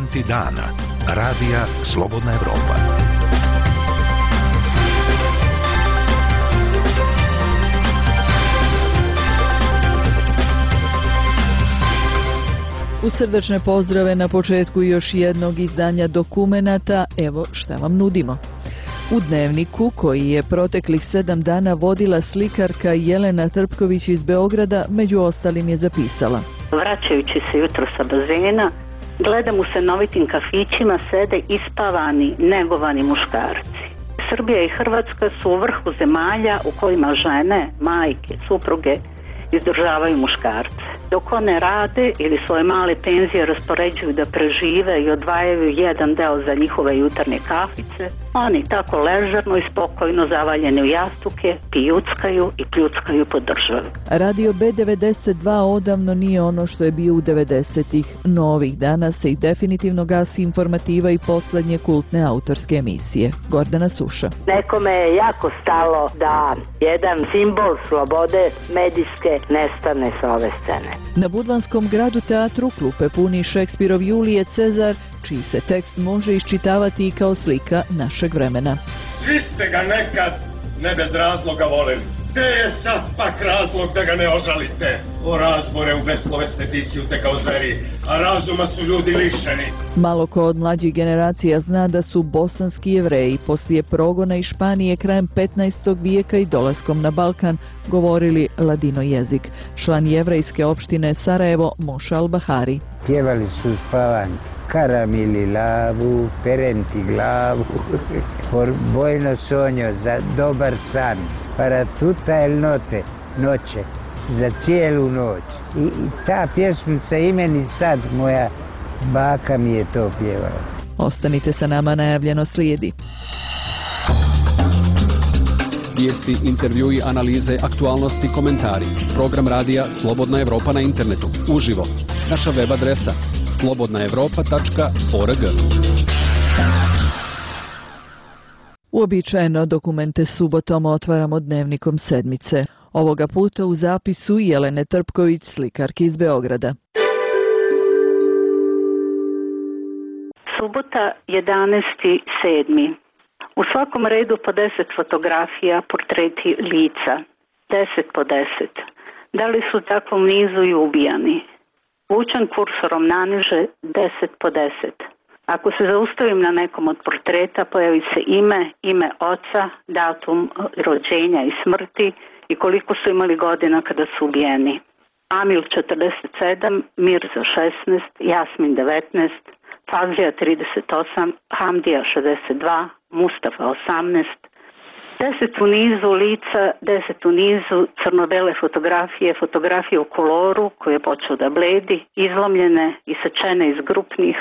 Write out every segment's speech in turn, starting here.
Momenti dana. Radija Slobodna Evropa. U srdačne pozdrave na početku još jednog izdanja Dokumenata, evo šta vam nudimo. U Dnevniku, koji je proteklih 7 dana vodila slikarka Jelena Trpković iz Beograda, među ostalim je zapisala: vraćajući se jutro sa bazena, gledam u stanovitim kafićima sede ispavani, negovani muškarci. Srbija i Hrvatska su u vrhu zemalja u kojima žene, majke, supruge izdržavaju muškarce. Dok one rade ili svoje male penzije raspoređuju da prežive i odvajaju jedan deo za njihove jutarnje kafice, oni tako ležerno i spokojno zavaljeni u jastuke pijuckaju i pljuckaju po državi. Radio B92 odavno nije ono što je bio u 90-ih, no ovih dana se i definitivno gasi informativa i poslednje kultne autorske emisije. Gordana Suša. Nekome je jako stalo da jedan simbol slobode medijske nestane sa ove scene. Na Budvanskom gradu teatru klupe puni Šekspirov Julije Cezar, čiji se tekst može iščitavati i kao slika našeg vremena. Svi ste ga nekad ne bez razloga voleli. Gde je sad pak razlog da ga ne ožalite? O razbore u beslovesne tisjute kao zveri, a razuma su ljudi lišeni. Malo ko od mlađih generacija zna da su bosanski Jevreji poslije progona iz Španije krajem 15. vijeka i dolaskom na Balkan govorili ladino jezik. Član jevrejske opštine Sarajevo Moša Al-Bahari. Pjevali su spavanj. Karamili lavu, perenti glavu, por bojno sonjo za dobar san, para tuta el note, noće, za cijelu noć. I ta pjesmica i meni sad, moja baka mi je to pjevala. Ostanite sa nama, najavljeno slijedi. Vijesti, intervjui, analize, aktualnosti, komentari. Program radija Slobodna Evropa na internetu. Uživo. Naša web adresa slobodnaevropa.org. Uobičajeno dokumente subotom otvaramo Dnevnikom sedmice. Ovoga puta u zapisu Jelene Trpković, slikarke iz Beograda. Subota 11.7. U svakom redu po 10 fotografija, portreti lica. 10 po 10. Da li su takvom nizu i ubijani? Vučen kursorom naniže 10 po 10. Ako se zaustavim na nekom od portreta, pojavi se ime oca, datum rođenja i smrti i koliko su imali godina kada su ubijeni. Amil 47, Mirza 16, Jasmin 19, Fazlija 38, Hamdija 62, Mustafa 18, 10 u nizu lica, 10 u nizu crno-bele fotografije, fotografije u koloru koje je počeo da bledi, izlomljene i sečene iz grupnih,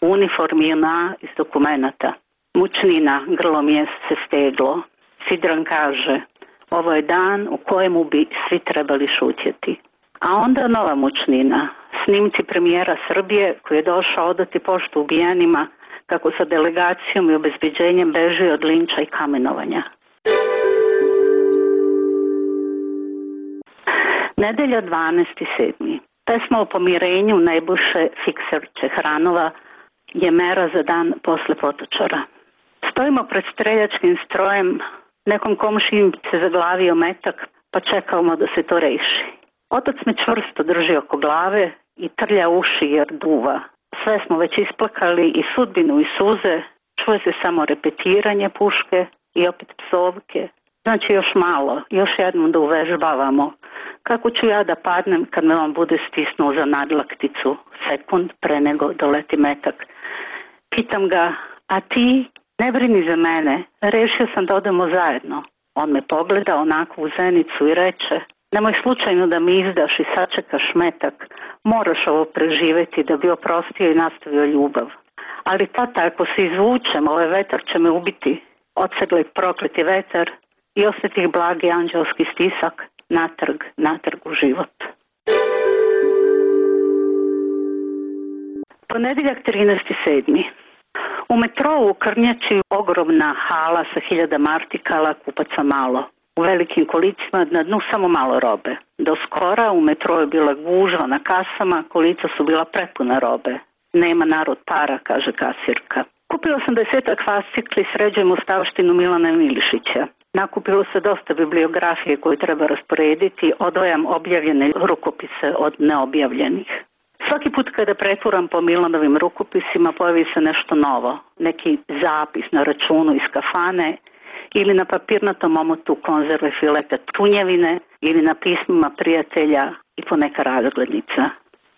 uniformi JNA iz dokumenata. Mučnina, grlo mjesece steglo. Sidran kaže, ovo je dan u kojemu bi svi trebali šutjeti. A onda nova mučnina, snimci premijera Srbije koji je došao odati poštu ubijenima kako sa delegacijom i obezbeđenjem beži od linča i kamenovanja. Nedelja 12.7. Pesma o pomirenju Nebojše Fikser Čehranova je mera za dan posle Potočara. Stojimo pred streljačkim strojem, nekom komšijim se zaglavio metak, pa čekamo da se to reši. Otac me čvrsto drži oko glave i trlja uši jer duva. Sve smo već isplakali i sudbinu i suze, čuje se samo repetiranje puške i opet psovke. Znači još malo, još jednom da uvežbavamo. Kako ću ja da padnem kad me on bude stisnuo za nadlakticu sekund pre nego doleti metak. Pitam ga, a ti ne brini za mene, rešio sam da odemo zajedno. On me pogleda onako u zenicu i reče, nemoj slučajno da mi izdaš i sačekaš metak, moraš ovo preživeti da bi oprostio i nastavio ljubav. Ali tata, ako se izvučem, ovaj vetar će me ubiti. Odsegli prokleti vetar i osjetih blagi anđelski stisak, natrag u život. Ponedjeljak 13.7. U metrou u Krnjači ogromna hala sa 1000 artikala, kupaca malo. U velikim kolicima na dnu samo malo robe. Do skora u metrou je bila gužva na kasama, kolica su bila prepuna robe. Nema narod para, kaže kasirka. Kupila sam 10 fascikli, sređujem ustavštinu Milana Milišića. Nakupilo se dosta bibliografije koju treba rasporediti, odvajam objavljene rukopise od neobjavljenih. Svaki put kada pretvoram po Milanovim rukopisima pojavi se nešto novo, neki zapis na računu iz kafane ili na papirnatom omotu konzerve fileta tunjevine ili na pismima prijatelja i poneka razglednica.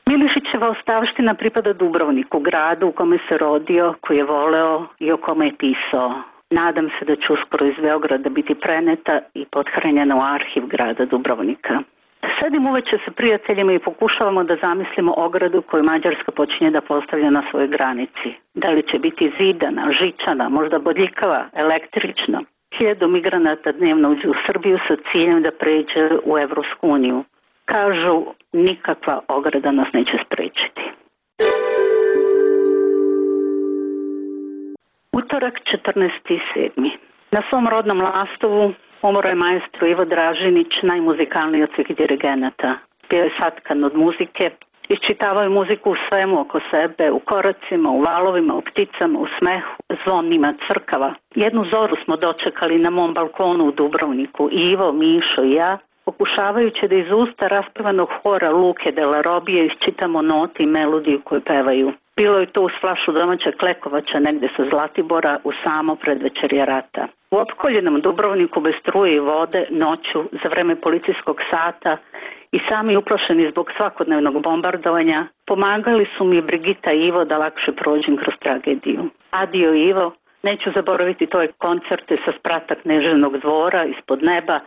Milišićeva ostavština pripada Dubrovniku, gradu u kome se rodio, koji je voleo i o kome je pisao. Nadam se da će uskoro iz Beograda biti preneta i pothranjena u arhiv grada Dubrovnika. Sedim uveče sa prijateljima i pokušavamo da zamislimo ogradu koju Mađarska počinje da postavlja na svojoj granici. Da li će biti zidana, žičana, možda bodljikava, električna. 1000 migranata dnevno uđe u Srbiju sa ciljem da pređe u Evropsku uniju. Kažu, nikakva ograda nas neće sprečiti. Utorak, 14.7. Na svom rodnom Lastovu umro je maestro Ivo Dražinić, najmuzikalniji od svih dirigenata. Bio je satkan od muzike, iščitavao je muziku u svemu oko sebe, u koracima, u valovima, u pticama, u smehu, zvonima crkava. Jednu zoru smo dočekali na mom balkonu u Dubrovniku, Ivo, Mišo i ja, pokušavajući da iz usta raspevanog hora Luke de la Robije iščitamo note i melodiju koju pevaju. Bilo je to uz flašu domaća Klekovača negde sa Zlatibora u samo predvečerje rata. U opkoljenom Dubrovniku bez struje i vode, noću, za vreme policijskog sata i sami uplašeni zbog svakodnevnog bombardovanja, pomagali su mi Brigita i Ivo da lakše prođem kroz tragediju. Adio Ivo, neću zaboraviti tvoje koncerte sa sprata Kneževnog dvora ispod neba,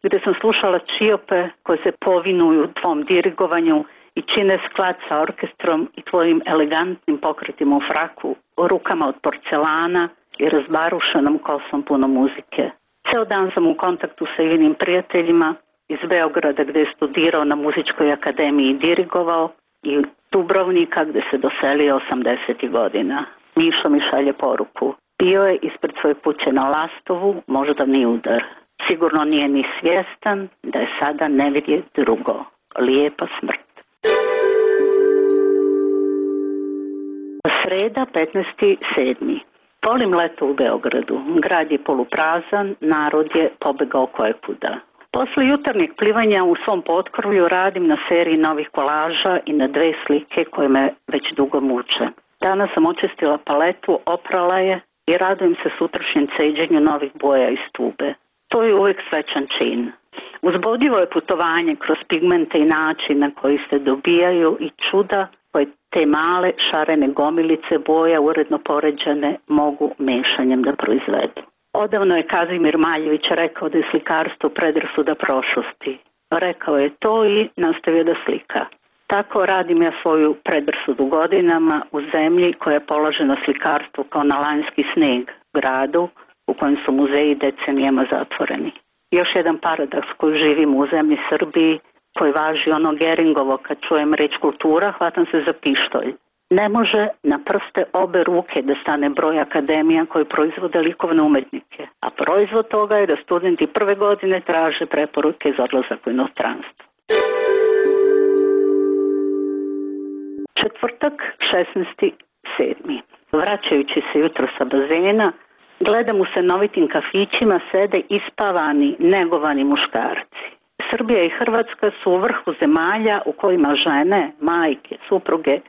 gde sam slušala čiope koje se povinuju tvom dirigovanju i čine sklad sa orkestrom i tvojim elegantnim pokretima u fraku, rukama od porcelana i razbarušenom kosom puno muzike. Ceo dan sam u kontaktu sa Ivinim prijateljima iz Beograda gde je studirao na muzičkoj akademiji i dirigovao i Dubrovnika gde se doselio 80. godina. Mišo mi šalje poruku. Bio je ispred svoje kuće na Lastovu, moždani udar. Sigurno nije ni svjestan da je sada nevidje drugo. Lijepa smrt. Sreda, 15.7. Volim leto u Beogradu. Grad je poluprazan, narod je pobegao kojekuda. Posle jutarnjeg plivanja u svom potkrovlju radim na seriji novih kolaža i na 2 slike koje me već dugo muče. Danas sam očistila paletu, oprala je i radujem se sutrašnjem ceđenju novih boja iz tube. To je uvijek srećan čin. Uzbudljivo je putovanje kroz pigmente i način na koji se dobijaju i čuda koje te male šarene gomilice boja uredno poređane mogu mešanjem da proizvedu. Odavno je Kazimir Maljević rekao da je slikarstvo predrasuda prošlosti. Rekao je to i nastavio da slika. Tako radim ja svoju predrasudu godinama u zemlji koja je položena slikarstvu kao na lanjski sneg, gradu u kojem su muzeji decenijama zatvoreni. Još jedan paradoks koji živimo u zemlji Srbiji, koji važi ono Geringovo, kad čujem reč kultura, hvatam se za pištolj. Ne može na prste obe ruke da stane broj akademija koji proizvode likovne umetnike, a proizvod toga je da studenti prve godine traže preporuke za odlazak u inostranstvo. Četvrtak, 16.7. Vraćajući se jutro sa bazena, gledam u stanovitim kafićima sede ispavani, negovani muškarci. Srbija i Hrvatska su u vrhu zemalja u kojima žene, majke, supruge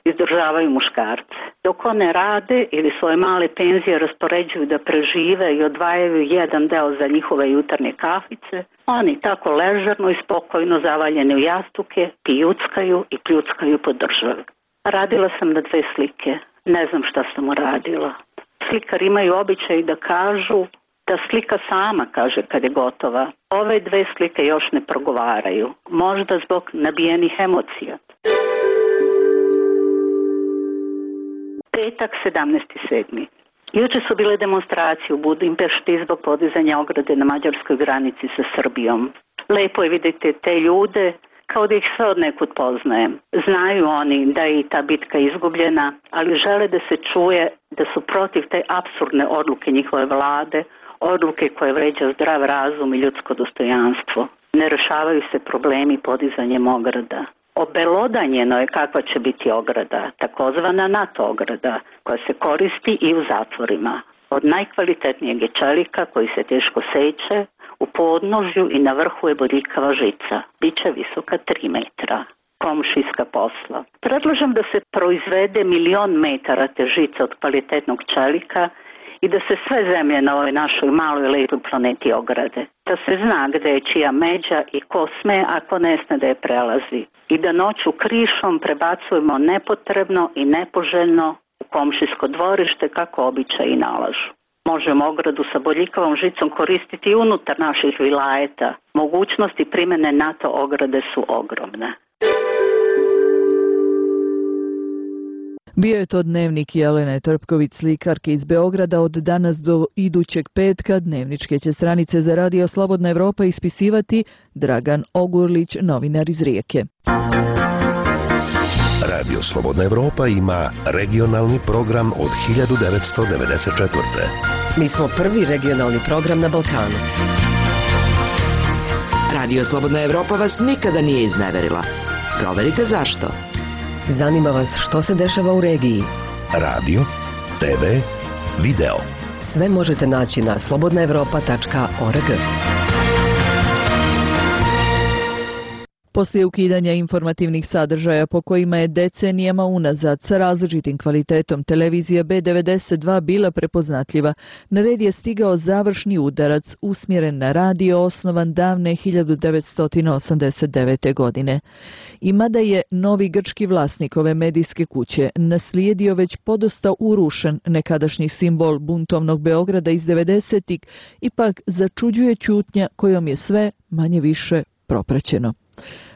izdržavaju muškarce. Dok one rade ili svoje male penzije raspoređuju da prežive i odvajaju jedan deo za njihove jutarnje kafice, oni tako ležerno i spokojno zavaljeni u jastuke pijuckaju i pljuckaju po državi. Radila sam na 2 slike. Ne znam šta sam uradila. Slikari imaju običaj da kažu da slika sama kaže kad je gotova. Ove 2 slike još ne progovaraju. Možda zbog nabijenih emocija. Petak, 17.7. Juče su bile demonstracije u Budimpešti zbog podizanja ograde na mađarskoj granici sa Srbijom. Lepo je vidjeti te ljude kao da ih sve od nekud poznajem. Znaju oni da je i ta bitka izgubljena, ali žele da se čuje da su protiv te apsurdne odluke njihove vlade, odluke koje vređa zdrav razum i ljudsko dostojanstvo. Ne rešavaju se problemi podizanjem ograda. Obelodanjeno je kakva će biti ograda, takozvana NATO ograda, koja se koristi i u zatvorima. Od najkvalitetnijeg je čelika koji se teško seče, u podnožju i na vrhu je bodljikava žica. Biće visoka 3 metra. Komšijska posla. Predlažem da se proizvede 1.000.000 metara te žice od kvalitetnog čelika i da se sve zemlje na ovoj našoj maloj lepoj planeti ograde. Da se zna gde je čija međa i ko sme, ako ne sme da je prelazi. I da noću krišom prebacujemo nepotrebno i nepoželjno u komšijsko dvorište kako običaji nalažu. Možemo ogradu sa bodljikavom žicom koristiti i unutar naših vilajeta. Mogućnosti primene NATO ograde su ogromne. Bio je to dnevnik Jelene Trpković, slikarke iz Beograda. Od danas do idućeg petka dnevničke će stranice za Radio Slobodna Evropa ispisivati Dragan Ogurlić, novinar iz Rijeke. Radio Slobodna Evropa ima regionalni program od 1994. Mi smo prvi regionalni program na Balkanu. Radio Slobodna Evropa vas nikada nije izneverila. Proverite zašto. Zanima vas što se dešava u regiji. Radio, TV, video. Sve možete naći na slobodnaevropa.org. Poslije ukidanja informativnih sadržaja po kojima je decenijama unazad sa različitim kvalitetom televizija B92 bila prepoznatljiva, na red je stigao završni udarac usmjeren na radio osnovan davne 1989. godine. I mada je novi grčki vlasnik ove medijske kuće naslijedio već podosta urušen nekadašnji simbol buntovnog Beograda iz 90-ih, ipak začuđuje ćutnja kojom je sve manje više propraćeno.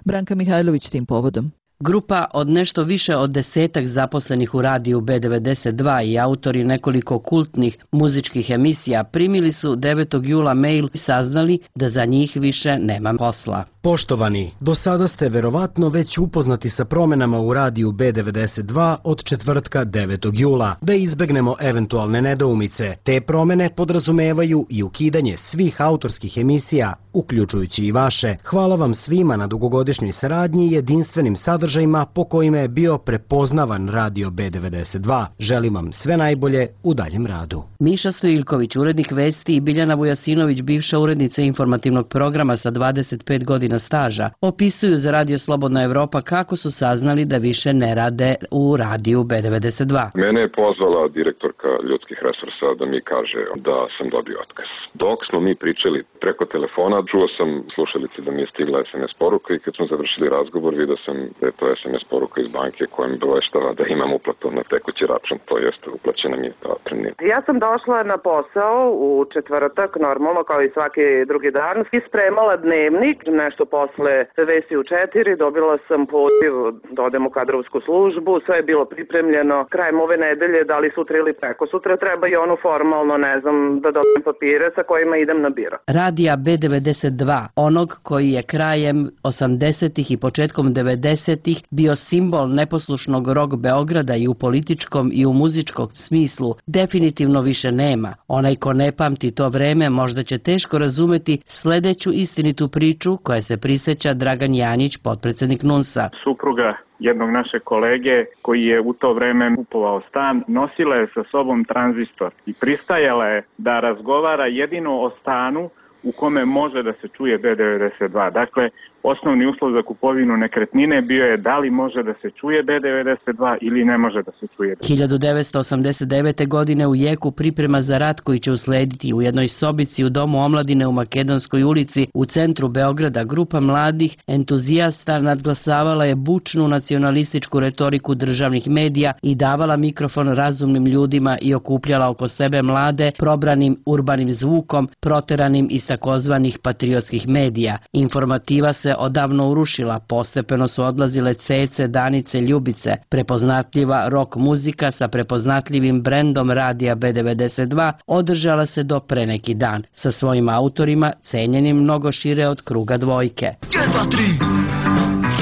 Branka Mihajlović tim povodom. Grupa od nešto više od 10 zaposlenih u radiju B92 i autori nekoliko kultnih muzičkih emisija primili su 9. jula mail i saznali da za njih više nema posla. Poštovani, do sada ste verovatno već upoznati sa promenama u radiju B92 od četvrtka 9. jula. Da izbegnemo eventualne nedoumice, te promene podrazumevaju i ukidanje svih autorskih emisija, uključujući i vaše. Hvala vam svima na dugogodišnjoj saradnji i jedinstvenim sadržajima po kojima je bio prepoznavan radio B92. Želim vam sve najbolje u daljem radu. Miša Stojiljković, urednik Vesti, i Biljana Vujasinović, bivša urednica informativnog programa sa 25 godina staža, opisuju za Radio Slobodna Evropa kako su saznali da više ne rade u radiju B92. Mene je pozvala direktorka ljudskih resursa da mi kaže da sam dobio otkaz. Dok smo mi pričali preko telefona, čuo sam slušalice da mi je stigla SMS poruka i kad smo završili razgovor vidio sam da je to SMS poruka iz banke koja mi obaveštava da imam uplatu na tekući račun, to jest uplaćena mi je ta otpremnina. Ja sam došla na posao u četvrtak, normalno kao i svaki drugi dan, i spremala dnevnik, nešto posle Vesti u 4, dobila sam poziv da odem u kadrovsku službu, sve je bilo pripremljeno, krajem ove nedelje, da li sutra ili preko sutra, treba i ono formalno, ne znam, da dobijem papire sa kojima idem na biro. Radija B92, onog koji je krajem 80-ih i početkom 90-ih bio simbol neposlušnog rock Beograda i u političkom i u muzičkom smislu, definitivno više nema. Onaj ko ne pamti to vreme možda će teško razumeti sledeću istinitu priču koja se prisjeća Dragan Janjić, potpredsjednik NUNS-a. Supruga jednog našeg kolege koji je u to vreme kupovao stan, nosila je sa sobom tranzistor i pristajala je da razgovara jedino o stanu u kome može da se čuje B92. Dakle, osnovni uslov za kupovinu nekretnine bio je da li može da se čuje B92 ili ne može da se čuje. 1989. godine u jeku priprema za rat koji će uslediti u jednoj sobici u Domu omladine u Makedonskoj ulici u centru Beograda, grupa mladih entuzijasta nadglasavala je bučnu nacionalističku retoriku državnih medija i davala mikrofon razumnim ljudima i okupljala oko sebe mlade probranim urbanim zvukom, proteranim iz takozvanih patriotskih medija. Informativa se odavno urušila, postepeno su odlazile Cece, Danice, Ljubice. Prepoznatljiva rock muzika sa prepoznatljivim brendom radija B92 održala se do pre neki dan, sa svojim autorima cenjenim mnogo šire od kruga dvojke. 1, 2, 3,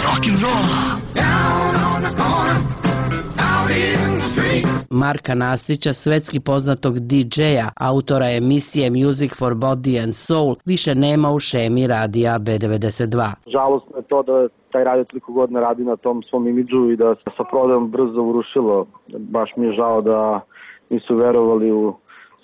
rock and roll, down on the corner, out in the street. Marka Nastića, svetski poznatog DJ-a, autora emisije Music for Body and Soul, više nema u šemi radija B92. Žalostno je to da taj radio toliko godina radi na tom svom imidžu i da se sa prodajom brzo urušilo. Baš mi je žao da nisu verovali u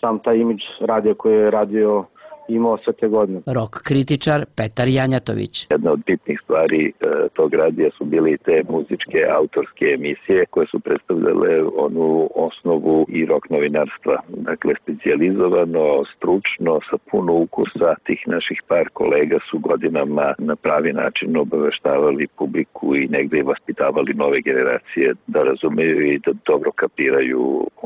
sam taj imidž radija koji je radio imao sve te godine. Rock kritičar Petar Janjatović. Jedna od bitnih stvari tog radija su bili te muzičke autorske emisije koje su predstavljale onu osnovu i rock novinarstva. Dakle, specijalizovano, stručno, sa puno ukusa. Tih naših par kolega su godinama na pravi način obaveštavali publiku i negde i vaspitavali nove generacije da razumeju i da dobro kapiraju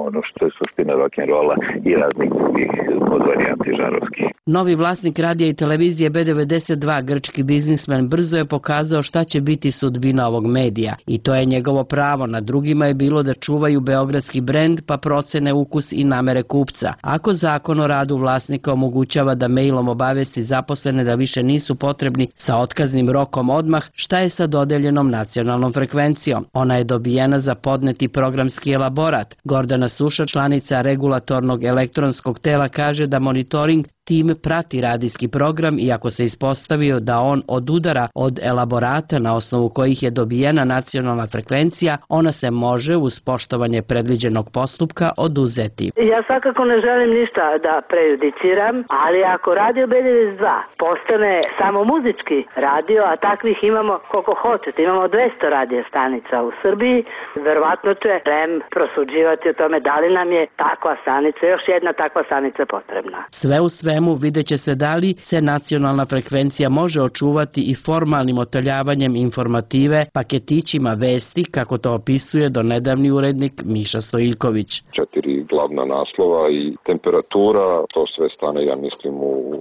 ono što je suština rock'n'rolla i raznih drugih podvarijanti žanrovskih. Novi vlasnik radija i televizije B92, grčki biznismen, brzo je pokazao šta će biti sudbina ovog medija i to je njegovo pravo. Na drugima je bilo da čuvaju beogradski brend pa procene ukus i namere kupca. Ako zakon o radu vlasnika omogućava da mailom obavesti zaposlene da više nisu potrebni sa otkaznim rokom odmah, šta je sa dodeljenom nacionalnom frekvencijom? Ona je dobijena za podneti programski elaborat. Gordana Suša, članica regulatornog elektronskog tela, kaže da monitoring tim prati radijski program i ako se ispostavio da on odudara od elaborata na osnovu kojih je dobijena nacionalna frekvencija, ona se može uz poštovanje predviđenog postupka oduzeti. Ja svakako ne želim ništa da prejudiciram, ali ako radio B92 postane samo muzički radio, a takvih imamo koliko hoćete, imamo 200 radio stanica u Srbiji, verovatno će REM prosuđivati o tome da li nam je takva stanica, još jedna takva stanica potrebna. Sve u svemu vidjet će se da li se nacionalna frekvencija može očuvati i formalnim otaljavanjem informative, paketićima vesti, kako to opisuje donedavni urednik Miša Stojiljković. 4 glavna naslova i temperatura, to sve stane, ja mislim,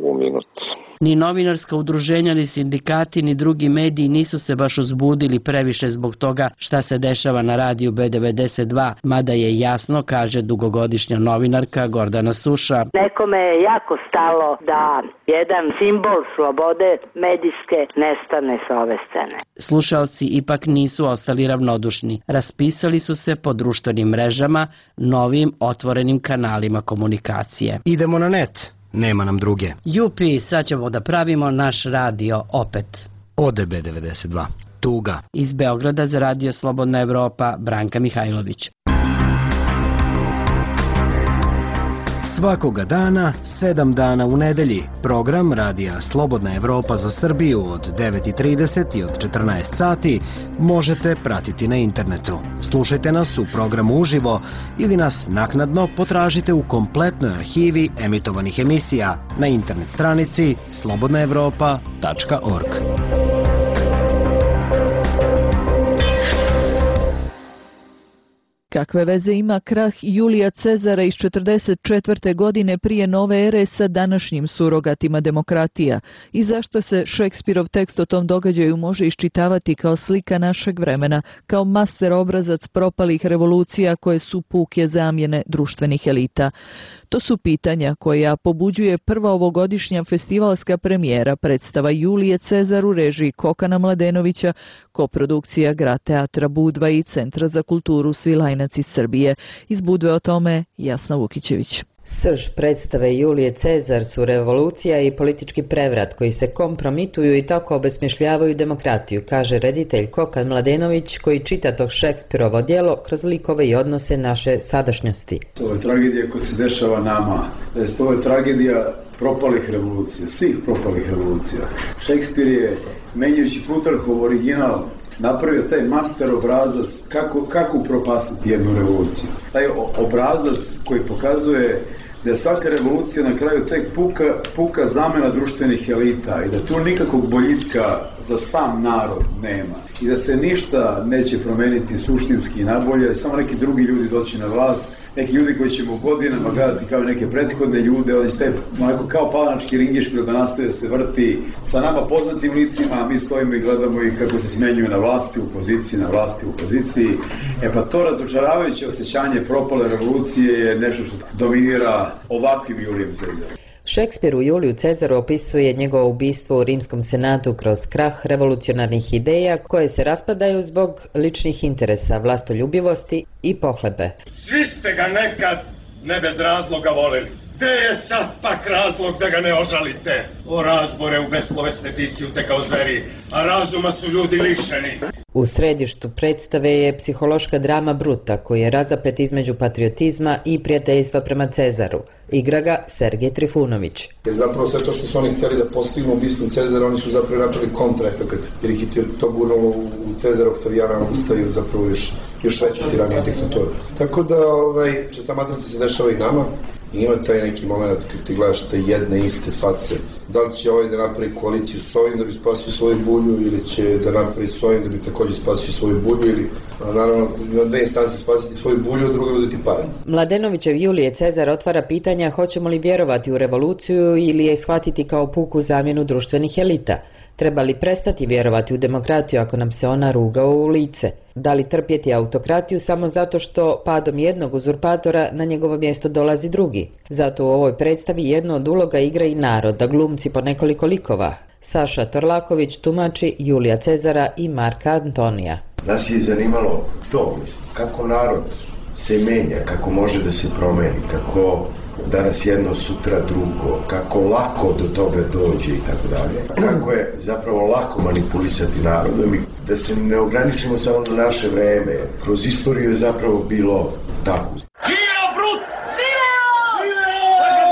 u minut. Ni novinarska udruženja, ni sindikati, ni drugi mediji nisu se baš uzbudili previše zbog toga šta se dešava na radiju B92, mada je jasno, kaže dugogodišnja novinarka Gordana Suša. Nekome je jako stalo da jedan simbol slobode medijske nestane sa ove scene. Slušaoci ipak nisu ostali ravnodušni. Raspisali su se po društvenim mrežama, novim otvorenim kanalima komunikacije. Idemo na net. Nema nam druge. Jupi, sad ćemo da pravimo naš radio opet. Ode B92. Tuga. Iz Beograda za radio Slobodna Evropa, Branka Mihajlović. Svakoga dana, 7 dana u nedelji, program radija Slobodna Evropa za Srbiju od 9:30 i od 14 sati možete pratiti na internetu. Slušajte nas u programu uživo ili nas naknadno potražite u kompletnoj arhivi emitovanih emisija na internet stranici slobodnaevropa.org. Kakve veze ima krah Julija Cezara iz 44. godine prije nove ere sa današnjim surogatima demokratija i zašto se Šekspirov tekst o tom događaju može iščitavati kao slika našeg vremena, kao master obrazac propalih revolucija koje su puke zamjene društvenih elita? To su pitanja koja pobuđuje prva ovogodišnja festivalska premijera predstava Julije Cezar u režiji Kokana Mladenovića, koprodukcija Grad teatra Budva i Centra za kulturu Svilajnac iz Srbije. Iz Budve o tome Jasna Vukićević. Srž predstave Julije Cezar su revolucija i politički prevrat koji se kompromituju i tako obesmišljavaju demokratiju, kaže reditelj Kokan Mladenović koji čita tog Šekspirovo djelo kroz likove i odnose naše sadašnjosti. Ovo je tragedija koja se dešava nama. Ovo je tragedija propalih revolucija, svih propalih revolucija. Šekspir je, menjajući Plutarhov original, napravio taj master obrazac kako upropastiti jednu revoluciju. Taj obrazac koji pokazuje da je svaka revolucija na kraju tek puka zamena društvenih elita i da tu nikakvog boljitka za sam narod nema i da se ništa neće promeniti suštinski nabolje, samo neki drugi ljudi doći na vlast, neki ljudi koji ćemo godinama gledati kao neke prethodne ljude, oni ste kao palanački ringišpil da nastaje se vrti sa nama poznatim licima, a mi stojimo i gledamo ih kako se smenjuju na vlasti, u poziciji, na vlasti, u poziciji. Pa to razočaravajuće osjećanje propale revolucije je nešto što dominira ovakvim Julijem Cezarom. Šekspir u Juliju Cezaru opisuje njegovo ubistvo u Rimskom senatu kroz krah revolucionarnih ideja koje se raspadaju zbog ličnih interesa, vlastoljubivosti i pohlebe. Svi ste ga nekad ne bez razloga voleli. Gde je sad pak razlog da ga ne ožalite? O razbore u beslovesne tisjute kao zveri, a razuma su ljudi lišeni. U središtu predstave je psihološka drama Bruta, koji je razapet između patriotizma i prijateljstva prema Cezaru. Igra ga Sergej Trifunović. Jer zapravo sve to što su oni htjeli da postignu ubistvom Cezara, oni su zapravo napravili kontraefekat, jer ih je to gurnulo u Cezara Oktavijana ustaju zapravo još veću tiraniju diktaturu. Tako da što ta matrica se dešava i nama, i ima taj neki moment kad ti gledaš te jedne iste face. Da li će ovaj da napravi koaliciju s ovim da bi spasio svoju bulju ili će da napravi s ovim da bi također spasio svoju bulju ili naravno na dve instance spasiti svoju bulju, a druga uzeti pare. Mladenovićev Julije Cezar otvara pitanja hoćemo li vjerovati u revoluciju ili je shvatiti kao puku zamjenu društvenih elita. Treba li prestati vjerovati u demokratiju ako nam se ona ruga u lice? Da li trpjeti autokratiju samo zato što padom jednog uzurpatora na njegovo mjesto dolazi drugi? Zato u ovoj predstavi jedno od uloga igra i narod, da glumci po nekoliko likova. Saša Torlaković tumači Julija Cezara i Marka Antonija. Nas je zanimalo to, kako narod se menja, kako može da se promeni, kako danas jedno, sutra drugo, kako lako do toga dođe i tako dalje. Kako je zapravo lako manipulisati narodom i da se ne ograničimo samo na naše vreme. Kroz istoriju je zapravo bilo tako. Živeo Brut! Živeo! Da ga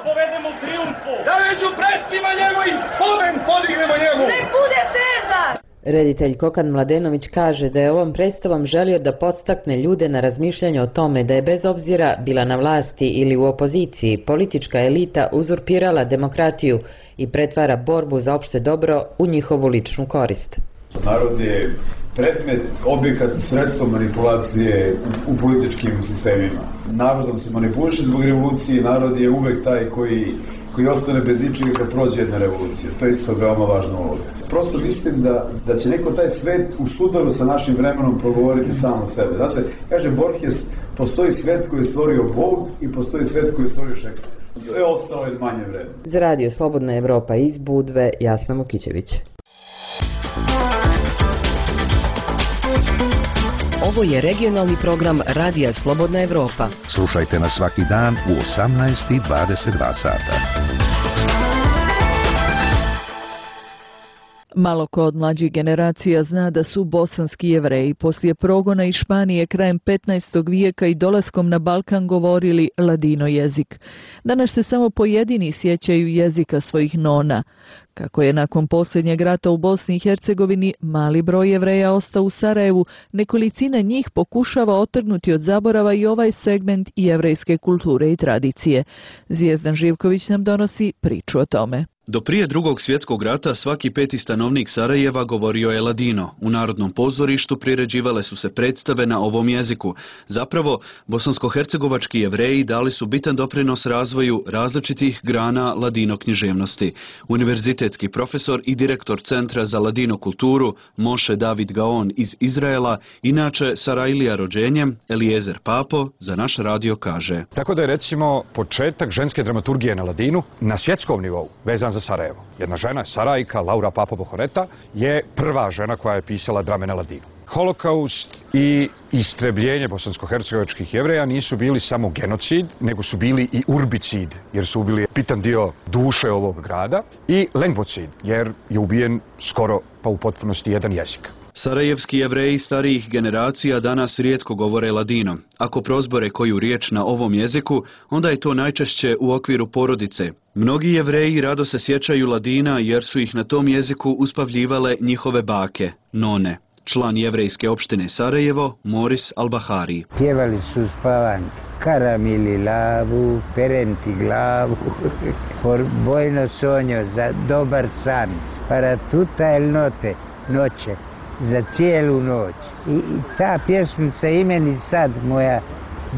povedemo u triumfu! Da među predsima njegovim spomen podignemo njemu! Nek bude Cezar! Reditelj Kokan Mladenović kaže da je ovom predstavom želio da podstakne ljude na razmišljanje o tome da je bez obzira bila na vlasti ili u opoziciji, politička elita uzurpirala demokratiju i pretvara borbu za opšte dobro u njihovu ličnu korist. Narod je predmet, objekat, sredstvo manipulacije u političkim sistemima. Narodom se manipuliše zbog revolucije, narod je uvek taj koji ostane bez ičega kad prođe jedna revolucija. To je isto veoma važna uloga. Prosto mislim da će neko taj svet u sudaru sa našim vremenom progovoriti samo o sebe. Znate, kaže Borges, postoji svet koji je stvorio Bog i postoji svet koji je stvorio Šekspir. Sve ostalo je manje vredno. Za Radio Slobodna Evropa iz Budve, Jasna Mukićević. Ovo je regionalni program Radija Slobodna Evropa. Slušajte nas svaki dan u 18:22 sata. Malo ko od mlađih generacija zna da su bosanski Jevreji poslije progona iz Španije krajem 15. vijeka i dolaskom na Balkan govorili ladino jezik. Danas se samo pojedini sjećaju jezika svojih nona. Kako je nakon posljednjeg rata u Bosni i Hercegovini mali broj Jevreja ostao u Sarajevu, nekolicina njih pokušava otrgnuti od zaborava i ovaj segment jevrejske kulture i tradicije. Zvijezdan Živković nam donosi priču o tome. Do prije Drugog svjetskog rata svaki peti stanovnik Sarajeva govorio je ladino. U Narodnom pozorištu priređivale su se predstave na ovom jeziku. Zapravo, bosansko-hercegovački Jevreji dali su bitan doprinos razvoju različitih grana ladino književnosti. Univerzitetski profesor i direktor Centra za ladino kulturu Moše David Gaon iz Izraela, inače Sarajlija rođenjem, Eliezer Papo, za naš radio kaže. Tako da je recimo početak ženske dramaturgije na ladinu na svjetskom nivou vezan za Sarajevo. Jedna žena, Sarajka, Laura Papo Bohoreta, je prva žena koja je pisala drame na ladinu. Holokaust i istrebljenje bosansko-hercegovačkih Jevreja nisu bili samo genocid, nego su bili i urbicid, jer su ubili bitan dio duše ovog grada, i lengvocid, jer je ubijen skoro pa u potpunosti jedan jezik. Sarajevski Jevreji starijih generacija danas rijetko govore ladino. Ako prozbore koju riječ na ovom jeziku, onda je to najčešće u okviru porodice. Mnogi Jevreji rado se sjećaju ladina jer su ih na tom jeziku uspavljivale njihove bake, none. Član jevrejske opštine Sarajevo, Moris Albahari. Pjevali su spavanke, karamili lavu, perenti glavu, por bojno sonjo za dobar san, para tuta el note, noće, za cijelu noć. I ta pjesmica imeni sad, moja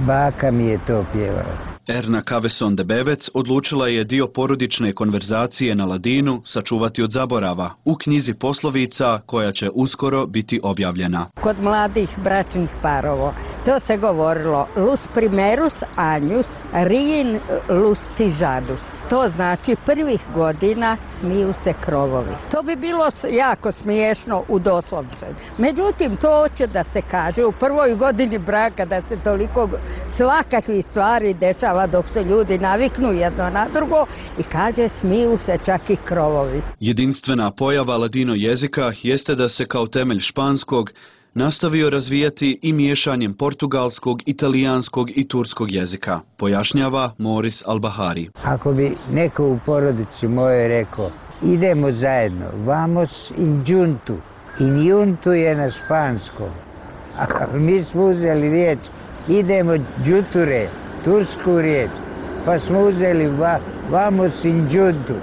baka mi je to pjevala. Erna Kaveson de Bevec odlučila je dio porodične konverzacije na ladinu sačuvati od zaborava u knjizi poslovica koja će uskoro biti objavljena. Kod mladih bračnih parova To se govorilo lus primerus agnus, rien lustijanus. To znači prvih godina smiju se krovovi. To bi bilo jako smiješno u doslovce. Međutim, to hoće da se kaže u prvoj godini braka, da se toliko svakakvih stvari dešava dok se ljudi naviknu jedno na drugo i kaže smiju se čak i krovovi. Jedinstvena pojava ladino jezika jeste da se kao temelj španskog nastavio razvijati i miješanjem portugalskog, italijanskog i turskog jezika, pojašnjava Moris Albahari. Ako bi neko u porodici mojoj rekao, idemo zajedno, vamos in juntu. In juntu je na španskom. A mi smo uzeli riječ, idemo džuture, tursku riječ, pa smo uzeli vamos in juntu.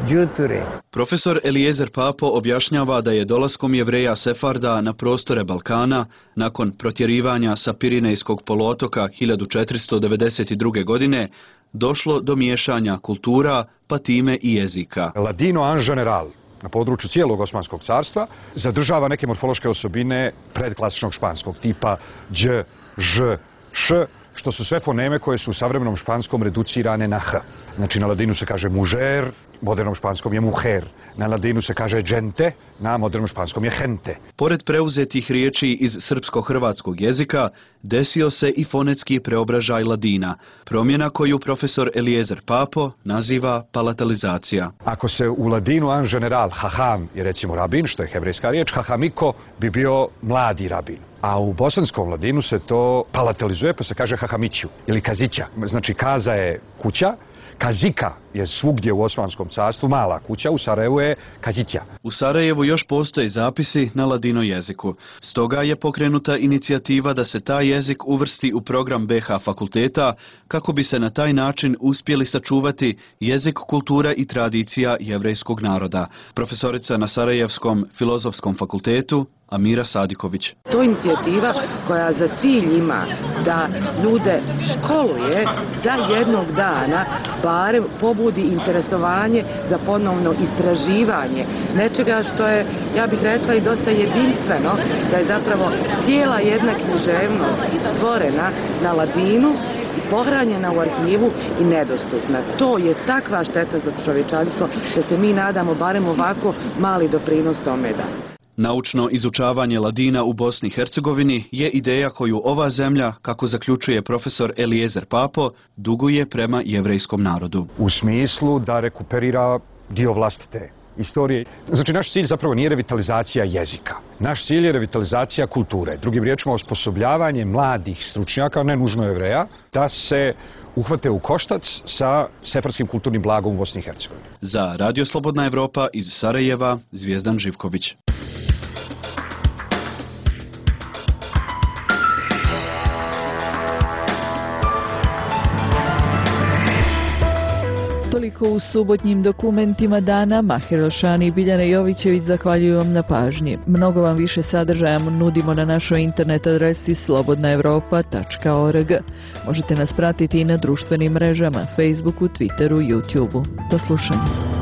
Džuture. Profesor Eliezer Papo objašnjava da je dolaskom Jevreja Sefarda na prostore Balkana, nakon protjerivanja sa Pirinejskog poluotoka 1492. godine, došlo do miješanja kultura, pa time i jezika. Ladino en general na području cijelog Osmanskog carstva zadržava neke morfološke osobine predklasičnog španskog tipa dž, ž, š, što su sve foneme koje su u savremenom španskom reducirane na h. Znači na ladinu se kaže mužer, modernom španskom je muher. Na ladinu se kaže gente, na modernom španskom je gente. Pored preuzetih riječi iz srpsko-hrvatskog jezika, desio se i fonetski preobražaj ladina, promjena koju profesor Eliezer Papo naziva palatalizacija. Ako se u ladinu en general haham je recimo rabin, što je hebrejska riječ, hahamiko bi bio mladi rabin. A u bosanskom ladinu se to palatalizuje pa se kaže hahamiću ili kazića. Znači kaza je kuća, kazika je svugdje u Osmanskom carstvu mala kuća, u Sarajevu je kazića. U Sarajevu još postoje zapisi na ladino jeziku. Stoga je pokrenuta inicijativa da se taj jezik uvrsti u program BH fakulteta kako bi se na taj način uspjeli sačuvati jezik, kultura i tradicija jevrejskog naroda. Profesorica na Sarajevskom filozofskom fakultetu Amira Sadiković. To je inicijativa koja za cilj ima da ljude školuje da jednog dana barem pobudi interesovanje za ponovno istraživanje nečega što je, ja bih rekla, i dosta jedinstveno, da je zapravo cijela jedna književnost stvorena na ladinu, pohranjena u arhivu i nedostupna. To je takva šteta za čovječanstvo da se mi nadamo barem ovako mali doprinos tome dati. Naučno izučavanje ladina u Bosni i Hercegovini je ideja koju ova zemlja, kako zaključuje profesor Eliezer Papo, duguje prema jevrejskom narodu. U smislu da rekuperira dio vlastite istorije. Znači, naš cilj zapravo nije revitalizacija jezika. Naš cilj je revitalizacija kulture. Drugim riječima, osposobljavanje mladih stručnjaka, ne nužno Jevreja, da se uhvate u koštac sa sefarskim kulturnim blagom u Bosni i Hercegovini. Za Radio Slobodna Evropa iz Sarajeva, Zvijezdan Živković. Toliko u subotnjim dokumentima dana. Mahir Elšani i Biljana Jovićević zahvaljuju vam na pažnji. Mnogo vam više sadržaja nudimo na našoj internet adresi slobodnaevropa.org. Možete nas pratiti i na društvenim mrežama, Facebooku, Twitteru, YouTubeu. Do slušanja.